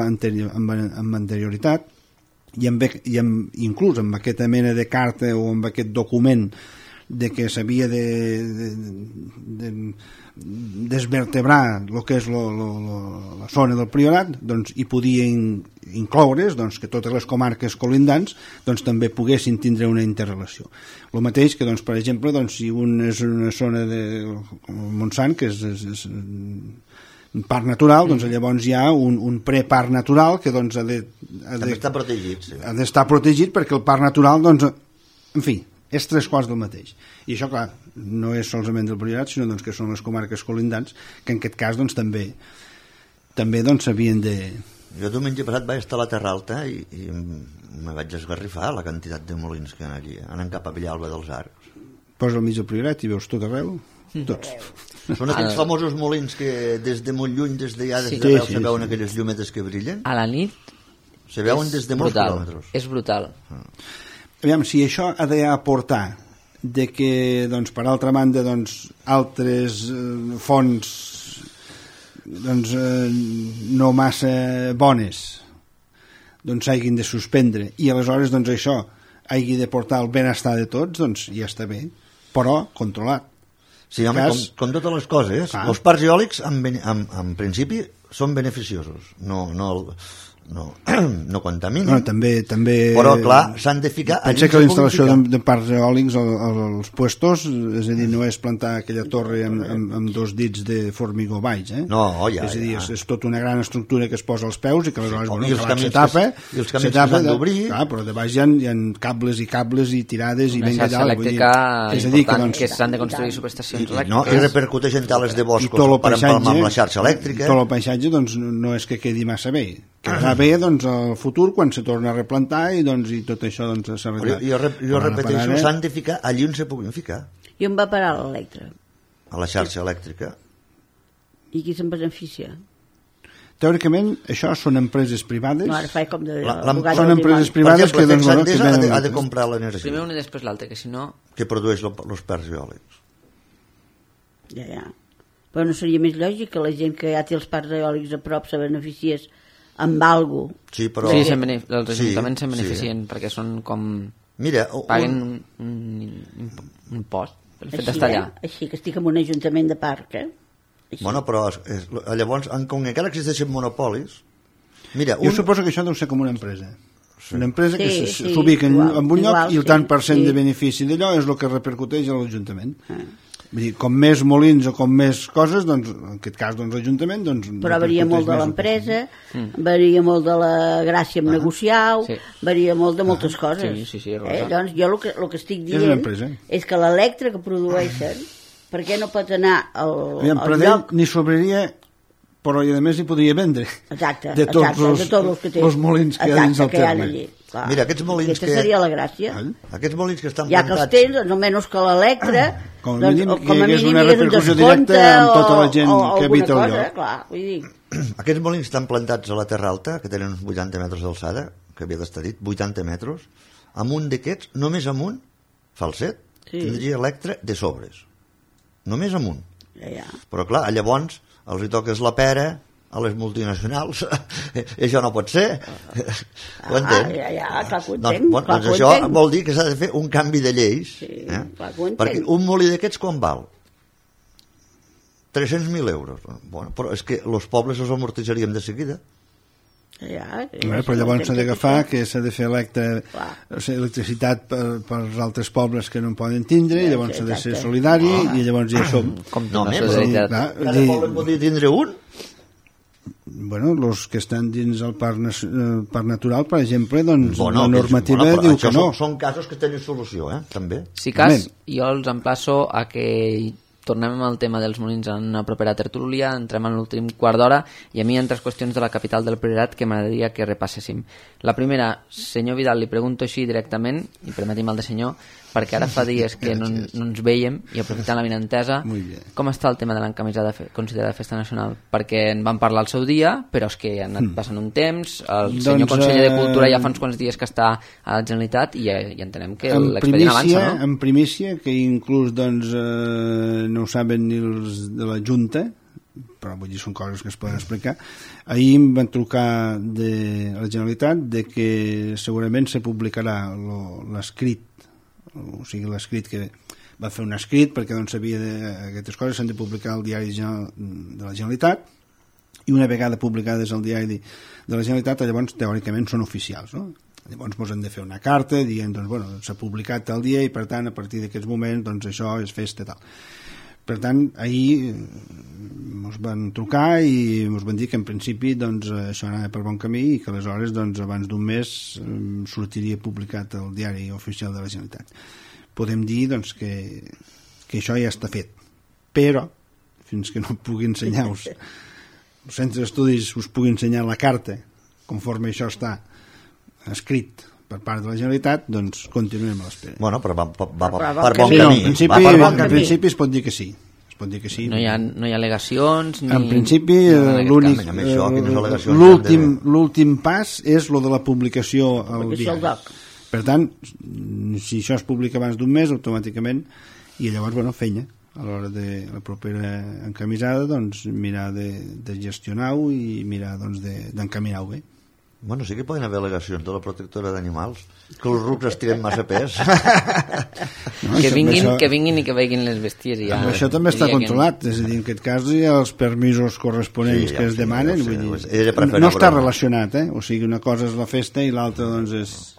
anterioritat i inclús amb aquesta mena de carta o amb aquest document de que s'havia de desvertebrar el que és la zona del Priorat, hi podia incloure's que totes les comarques colindants també poguessin tindre una interrelació. El mateix que, per exemple, si un és una zona de Montsant, que és un parc natural, llavors hi ha un preparc natural que ha d'estar protegit. Sí. Ha d'estar protegit perquè el parc natural, en fi, és 3 quarts del mateix. I això, clar, no és solament del Priorat, sinó que són les comarques colindants, que en aquest cas també s'havien de... Jo diumenge passat vaig estar a la Terra Alta i me vaig esgarrifar la quantitat de molins que hi ha allí, anant cap a Villalba dels Arcs. Posa al mig del Priorat i veus tot arreu, tots. Són aquells famosos molins que des de molt lluny, des d'arreu, se veuen aquelles llumetes que brillen. A la nit se veuen des de molts quilòmetres. És brutal. Aviam, si això ha d'aportar de que, per altra banda, altres fonts no massa bones s'hagin de suspendre i aleshores això hagi de portar el benestar de tots, ja està bé, però controlat. Sí, home, com totes les coses, els parcs eòlics en principi són beneficiosos, no contaminen. Bueno, també... Però, clar, s'han de ficar... Pensa que la instal·lació de parcs eòlics als puestos, és a dir, no és plantar aquella torre amb 2 dits de formigó baix, No, ja. És a dir, és tota una gran estructura que es posa als peus i que aleshores se tapa. I els camins que s'han d'obrir. Però de baix hi ha cables i tirades i ben allà. Una xarxa elèctrica important que s'han de construir subestacions elèctriques. I repercuteix en tales de boscos per empalmar amb la xarxa elèctrica. Tot el paisatge no és que quedi massa bé, quedarà bé doncs, al futur quan se torna a replantar i, doncs, i tot això doncs, s'arreglarà. Jo repeteixo, s'han de ficar allí on se puguin ficar. I on va parar l'Electra? A la xarxa elèctrica. I qui se'n beneficia? Teòricament, això són empreses privades. No, ara fa com de... Són empreses privades que... Per exemple, ha de comprar l'energia. Primer una i després l'altra, que si no... Que produeix els parcs eòlics. Ja. Però no seria més lògic que la gent que ja té els parcs eòlics a prop se beneficiés amb algo? Sí, però... Sí, els ajuntaments se'n beneficien perquè són com... Mira, paguen un impost pel fet d'estar allà. Així que estic en un ajuntament de parc, Així. Bueno, però llavors, com que encara existeixen monopolis... Mira, jo suposo que això deu ser com una empresa. Una empresa que s'ubica en un lloc i el tant per cent de benefici d'allò és el que repercuteix a l'Ajuntament. Vull dir, com més molins o com més coses, doncs, en aquest cas, doncs, l'Ajuntament... Doncs, però varia molt de l'empresa, varia molt de la gràcia amb negociar, varia molt de moltes coses. Sí, Doncs jo el que estic dient és que l'Electra que produeixen, per què no pot anar al lloc... Ni sobraria, però a més hi podria vendre. Exacte, de tots els molins que hi ha dins el terme. Mira, aquests molins aquesta seria la gràcia. Aquests molins que estan plantats... Ja que els tens, doncs, almenys que l'Electra... Com a mínim hi hagués una repercussió directa amb tota la gent que habita el lloc. Clar, vull dir... Aquests molins estan plantats a la Terra Alta, que tenen uns 80 metres d'alçada, que havia d'estar dit, 80 metres, amb un d'aquests, només amb un, falset, tindria Electra de sobres. Només amb un. Però clar, llavors els hi toques la pera a les multinacionals. Això no pot ser. Ho entens? Clar que ho entenc. Doncs això vol dir que s'ha de fer un canvi de lleis. Perquè un molí d'aquests quan val? 300.000 euros. Bueno, però és que els pobles els amortitzaríem de seguida. Però llavors s'ha d'agafar que s'ha de fer electricitat per als altres pobles que no en poden tindre, i llavors s'ha de ser solidari, i llavors ja som... No, cada poble en podria tindre un? Bueno, els que estan dins el parc natural, per exemple, doncs la normativa diu que no. Són casos que tenen solució, també. Si cas, jo els emplaço a que tornem al tema dels molins en una propera tertúlia, entrem en l'últim quart d'hora, i a mi hi ha 3 qüestions de la capital del Priorat que m'agradaria que repasséssim. La primera, senyor Vidal, li pregunto així directament, i permeti'm el de senyor, perquè ara fa dies que no ens veiem, i aprofitant la vinentesa, com està el tema de l'encamisada considerada festa nacional? Perquè en vam parlar al seu dia, però és que ha anat passant un temps, el senyor conseller de Cultura ja fa uns quants dies que està a la Generalitat, i entenem que l'expedient avança, no? En primícia, que inclús doncs, no ho saben ni els de la Junta, però vull dir, són coses que es poden explicar. Ahir em van trucar de la Generalitat de que segurament se publicarà l'escrit, o sigui, l'escrit que va fer un escrit perquè doncs sabia d'aquestes coses, s'han de publicar al diari de la Generalitat, i una vegada publicades al diari de la Generalitat, llavors teòricament són oficials, no? Llavors ens hem de fer una carta dient, doncs, bueno, s'ha publicat tal dia i per tant a partir d'aquests moments doncs això és festa tal. Per tant, ahir ens van trucar i ens van dir que en principi doncs, això anava per bon camí i que aleshores doncs, abans d'un mes sortiria publicat al diari oficial de la Generalitat. Podem dir doncs, que això ja està fet, però fins que no pugui ensenyar-vos els centres d'estudis us pugui ensenyar la carta conforme això està escrit per part de la Generalitat, doncs continuem a l'espera. Bueno, però va per bon camí. En principi es pot dir que sí. No hi ha al·legacions ni... En principi l'últim pas és lo de la publicació al diari. Per tant, si això es publica abans d'un mes, automàticament, i llavors, bueno, feina a l'hora de la propera encamisada, doncs mirar de gestionar-ho i mirar doncs, d'encaminar-ho bé. Bueno, sí que poden haver al·legacions de la protectora d'animals, que els rucs estiren massa pes. Que vinguin i que vegin les bèsties. Ja, això també està controlat, és a dir, en aquest cas hi ha els permisos corresponents que es demanen, no està relacionat, o sigui, una cosa és la festa i l'altra doncs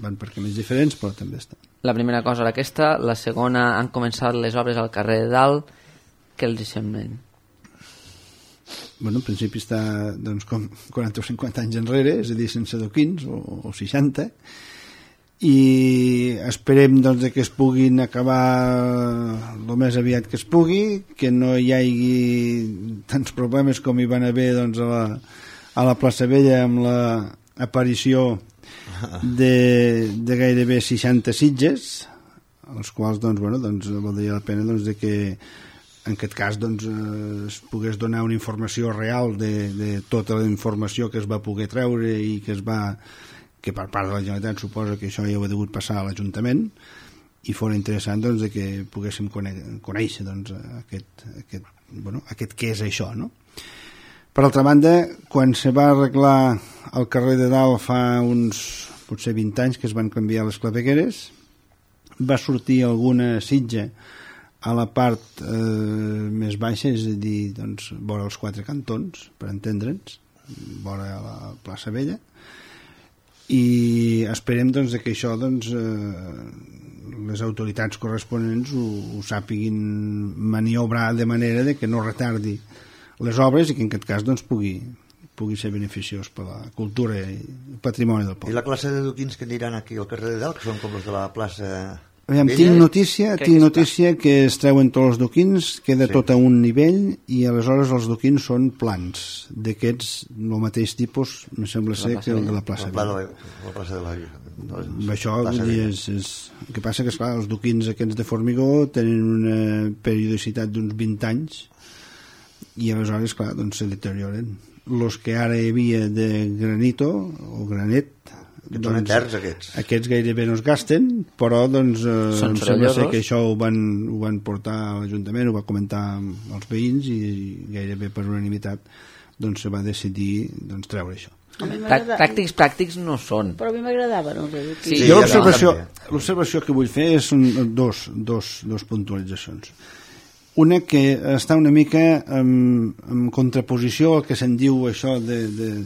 van per camins diferents, però també està. La primera cosa era aquesta, la segona, han començat les obres al carrer de Dalt, què els semblen? Bueno, en principi està doncs, com 40 o 50 anys enrere, és a dir, sense adoquins o 60, i esperem doncs, que es puguin acabar el més aviat que es pugui, que no hi hagi tants problemes com hi van haver doncs, a a la plaça Vella amb l'aparició de gairebé 60 sitges, els quals valdria la pena de que en aquest cas es pogués donar una informació real de tota la informació que es va poder treure i que per part de la Generalitat suposa que això ja ho ha degut passar a l'Ajuntament, i fos interessant de que poguéssim conèixer aquest què és això, no? Per altra banda, quan se va arreglar el carrer de Dalt fa uns potser 20 anys que es van canviar les clavegueres, va sortir alguna sitja a la part més baixa, és a dir, vora els 4 cantons, per entendre'ns, vora la plaça Vella, i esperem que això les autoritats corresponents ho sàpiguin maniobrar de manera que no retardi les obres i que en aquest cas pugui ser beneficiós per la cultura i el patrimoni del poble. I la classe de duquins que aniran aquí al carrer de Dalt, que són com els de la plaça... Tinc notícia que es treuen tots els duquins, queda tot a un nivell i aleshores els duquins són plans d'aquests, el mateix tipus em sembla ser que el de la plaça Vella. La plaça de la Vella. Això el que passa que esclar, els duquins aquests de formigó tenen una periodicitat d'uns 20 anys i aleshores clar, se deterioren. Els que ara hi havia de granito o granet, aquests gairebé no es gasten, però em sembla ser que això ho van portar a l'Ajuntament, ho va comentar amb els veïns i gairebé per unanimitat se va decidir treure això. Pràctics no són, però a mi m'agradaven els duquins. Jo l'observació que vull fer són dos puntualitzacions. Una que està una mica en contraposició al que se'n diu això del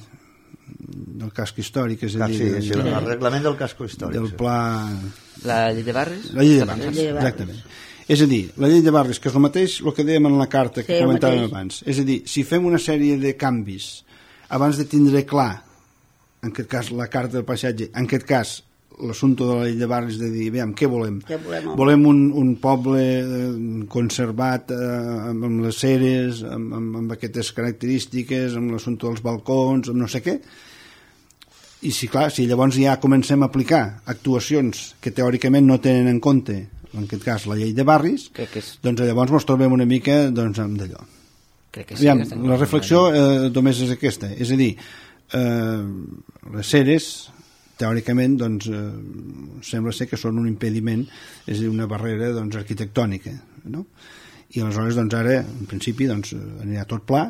casc històric, és a dir... Sí, el reglament del casc històric. Del pla... La llei de barris? La llei de barris, exactament. És a dir, la llei de barris, que és el mateix el que dèiem en la carta que comentàvem abans. És a dir, si fem una sèrie de canvis abans de tindre clar, en aquest cas la carta del paisatge, en aquest cas l'assumpte de la llei de barris, de dir, veiem, què volem? Volem un poble conservat amb les ceres, amb aquestes característiques, amb l'assumpte dels balcons, amb no sé què. I si llavors ja comencem a aplicar actuacions que teòricament no tenen en compte, en aquest cas la llei de barris, llavors ens trobem una mica amb d'allò. La reflexió només és aquesta, és a dir, les ceres teòricament sembla ser que són un impediment, és a dir, una barrera arquitectònica, no? I aleshores ara en principi anirà tot pla,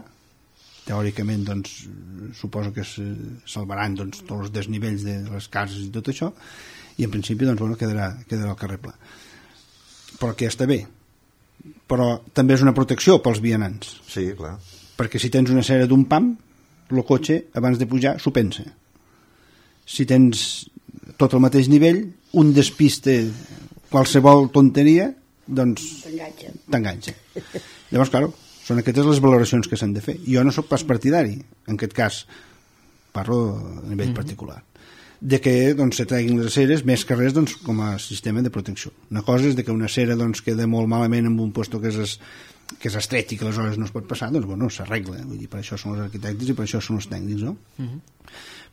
teòricament suposo que es salvaran tots els desnivells de les cases i tot això, i en principi quedarà el carrer pla, però que ja està bé, però també és una protecció pels vianants. Sí, clar. Perquè si tens una cera d'un pam, el cotxe abans de pujar s'ho pensa. Si tens tot al mateix nivell, un despiste qualsevol tonteria, t'enganxa. Llavors, clar, són aquestes les valoracions que s'han de fer. Jo no sóc pas partidari, en aquest cas, parlo a nivell particular, de que se treguin les ceres més que res com a sistema de protecció. Una cosa és que una cera queda molt malament en un lloc que és estret i que aleshores no es pot passar, s'arregla. Vull dir, per això són els arquitectes i per això són els tècnics, no?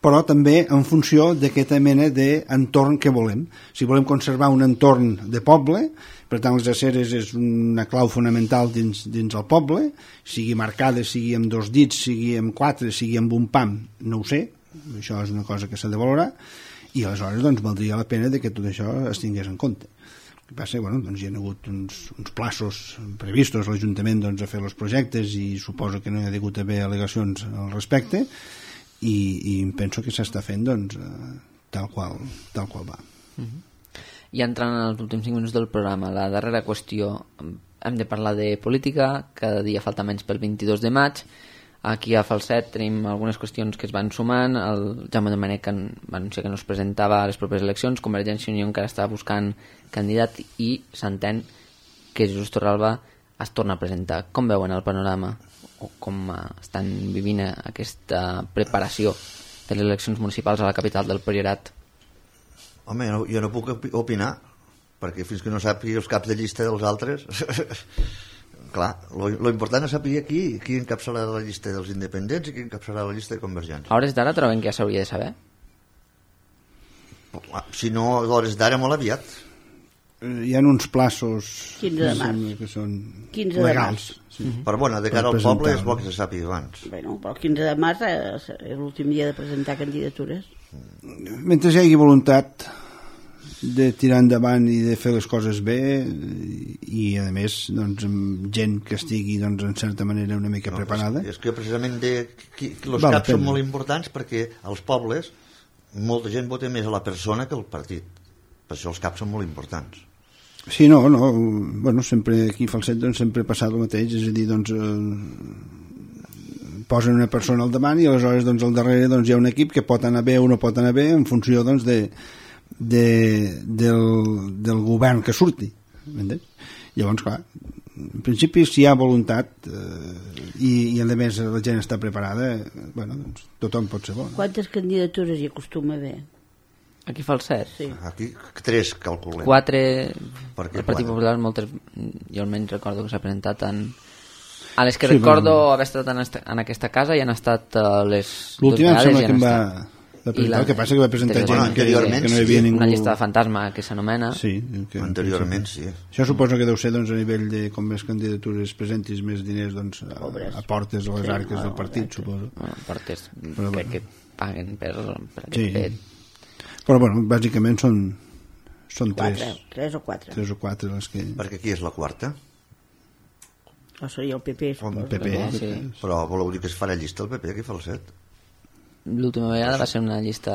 Però també en funció d'aquesta mena d'entorn que volem. Si volem conservar un entorn de poble, per tant les aceres és una clau fonamental dins el poble, sigui marcada, sigui amb 2 dits, sigui amb 4, sigui amb un pam, no ho sé, això és una cosa que s'ha de valorar, i aleshores valdria la pena que tot això es tingués en compte. El que passa, hi ha hagut uns plaços previstos a l'Ajuntament a fer els projectes i suposo que no hi ha hagut haver al·legacions al respecte, i penso que s'està fent tal qual va. I entrant en els últims 5 minuts del programa, la darrera qüestió, hem de parlar de política, cada dia falta menys pel 22 de maig. Aquí a Falset tenim algunes qüestions que es van sumant. El Jaume Domènech va anunciar que no es presentava a les properes eleccions, Convergència i Unió encara està buscant candidat i s'entén que Jesús Torralba es torna a presentar. Com veuen el panorama o com estan vivint aquesta preparació de les eleccions municipals a la capital del Priorat? Home, jo no puc opinar, perquè fins que no sàpiga els caps de llista dels altres clar, lo important és saber qui encapçalarà la llista dels independents i qui encapçalarà la llista de Convergència. A hores d'ara troben que ja s'hauria de saber? Si no, a hores d'ara molt aviat. Hi ha uns plaços 15 de març. que són 15 de legals. Sí. Però bueno, de cara al poble és bo que se sàpiga abans. Bueno, però el 15 de març és l'últim dia de presentar candidatures. Mentre hi hagi voluntat de tirar endavant i de fer les coses bé i a més doncs, amb gent que estigui doncs, en certa manera una mica preparada. És que precisament els Val caps són molt importants perquè als pobles molta gent vota més a la persona que al partit. Per això els caps són molt importants. Sí, no, bueno, sempre aquí a Falset doncs, sempre ha passat el mateix, és a dir, doncs posen una persona al davant i aleshores doncs, al darrere doncs, hi ha un equip que pot anar bé o no pot anar bé en funció doncs, del govern que surti. M'entens? Llavors, clar, en principi si hi ha voluntat i a més la gent està preparada, bueno, doncs, tothom pot ser bo. Quantes candidatures hi acostuma a haver? Aquí fa el 7. Sí. Aquí 3 calculem. 4 Per què el Partit 4? Popular, moltes, jo almenys recordo que s'ha presentat a les que recordo haver estat en aquesta casa i han estat les l'última em sembla que em va I presentar, el que passa que va presentar gent anteriorment que no hi havia ningú. una llista de fantasma que s'anomena Sí, Anteriorment sí. Això suposo que deu ser doncs, a nivell de com més candidatures presentis més diners doncs, aportes a les arques del partit, suposo. portes Però, crec que paguen per aquest Sí. fet. Però bueno, bàsicament són 3 3 o 4. o 4 les que... Perquè aquí és la quarta. O seria el PP. O el suposo. PP. Sí. Però voleu dir que es farà llista el PP aquí fa el 7? L'última vegada va ser una llista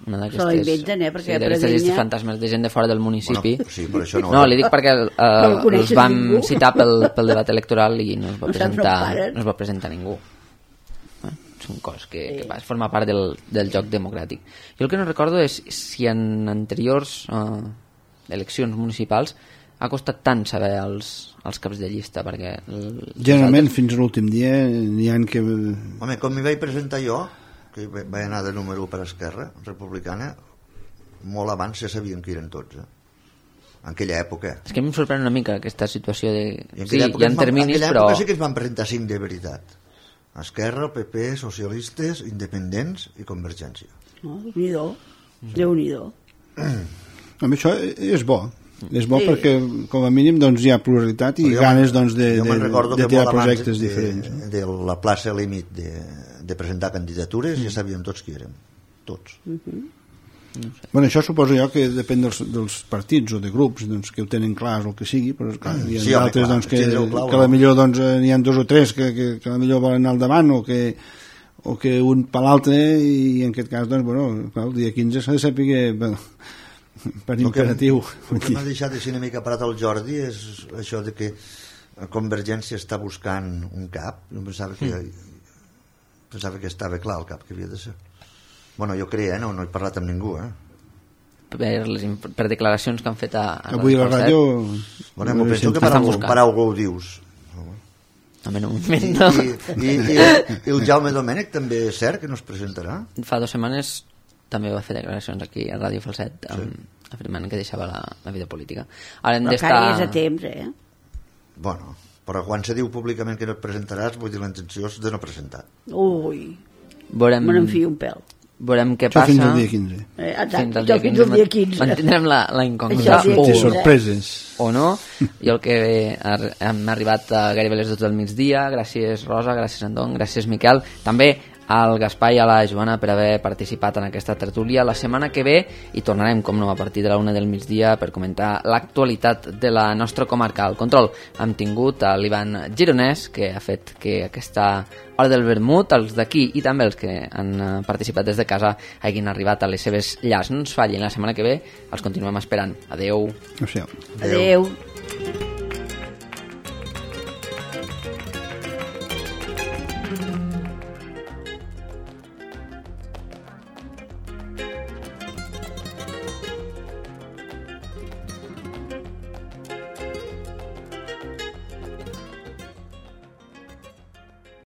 una d'aquestes Se la inventen, perquè sí, d'aquestes Predenya- llistes fantasmes de gent de fora del municipi. Bueno, sí, però això no... No, li dic perquè el coneixes els vam ningú. citar pel debat electoral i no es va No saps on paren. no es va presentar ningú. Són coses que forma part del joc democràtic. Jo el que no recordo és si en anteriors eleccions municipals ha costat tant saber els caps de llista, perquè... Generalment fins a l'últim dia n'hi ha que... Home, com m'hi vaig presentar jo, que vaig anar de número 1 per Esquerra Republicana, molt abans ja sabien que eren tots, en aquella època. És que a mi em sorprèn una mica aquesta situació de... I en Sí, aquella època, hi ha terminis, en aquella però... època sí que es van presentar 5 de veritat. Esquerra, PP, socialistes, independents i Convergència. No? Déu-n'hi-do. A mi això és bo. És bo perquè, com a mínim, doncs, hi ha pluralitat i ganes doncs, jo me'n recordo de que tirar molt abans projectes diferents. de la plaça límit de presentar candidatures ja sabíem tots qui érem. Tots. Bueno, això suposo jo que depèn dels partits o de grups doncs, que ho tenen clar o el que sigui, però clar, hi ha Sí, home, altres clar, doncs, que tindreu clar, a la millor doncs, n'hi ha 2 o 3 que a la millor volen anar al davant o que un per l'altre i en aquest cas doncs, bueno, clar, el dia 15 s'ha de saber bueno, per imperatiu. El que m'ha deixat així una mica parat el Jordi és això de que Convergència està buscant un cap. Jo pensava que estava clar el cap que havia de ser. Bueno, jo creia, no he parlat amb ningú, per declaracions que han fet a Avui a la ràdio... Bueno, m'ho penso que per algú ho dius. A mi no m'ho invento. I el Jaume Domènech també és cert que no es presentarà? Fa 2 setmanes també va fer declaracions aquí a Ràdio Falset afirmant que deixava la vida política. Ara hem Però encara és a temps, Bueno, però quan se diu públicament que no et presentaràs, vull dir, la intenció és de no presentar. Ui, me n'enfio un pèl. Veurem què Això passa. fins al dia 15. Exacte, fins al dia 15. Mantindrem la incògnita. Sorpreses. O no. Jo el que hem arribat a gairebé les 12 del migdia. Gràcies, Rosa, gràcies, Andon, gràcies, Miquel. També al Gaspar i a la Joana per haver participat en aquesta tertúlia. La setmana que ve hi tornarem, com no, a partir de la 1 del migdia per comentar l'actualitat de la nostra comarca. Al control hem tingut a l'Ivan Gironès, que ha fet que aquesta hora del vermut, els d'aquí i també els que han participat des de casa hagin arribat a les seves llars. No ens fallin, la setmana que ve els continuem esperant. Adeu. Adéu. Adéu.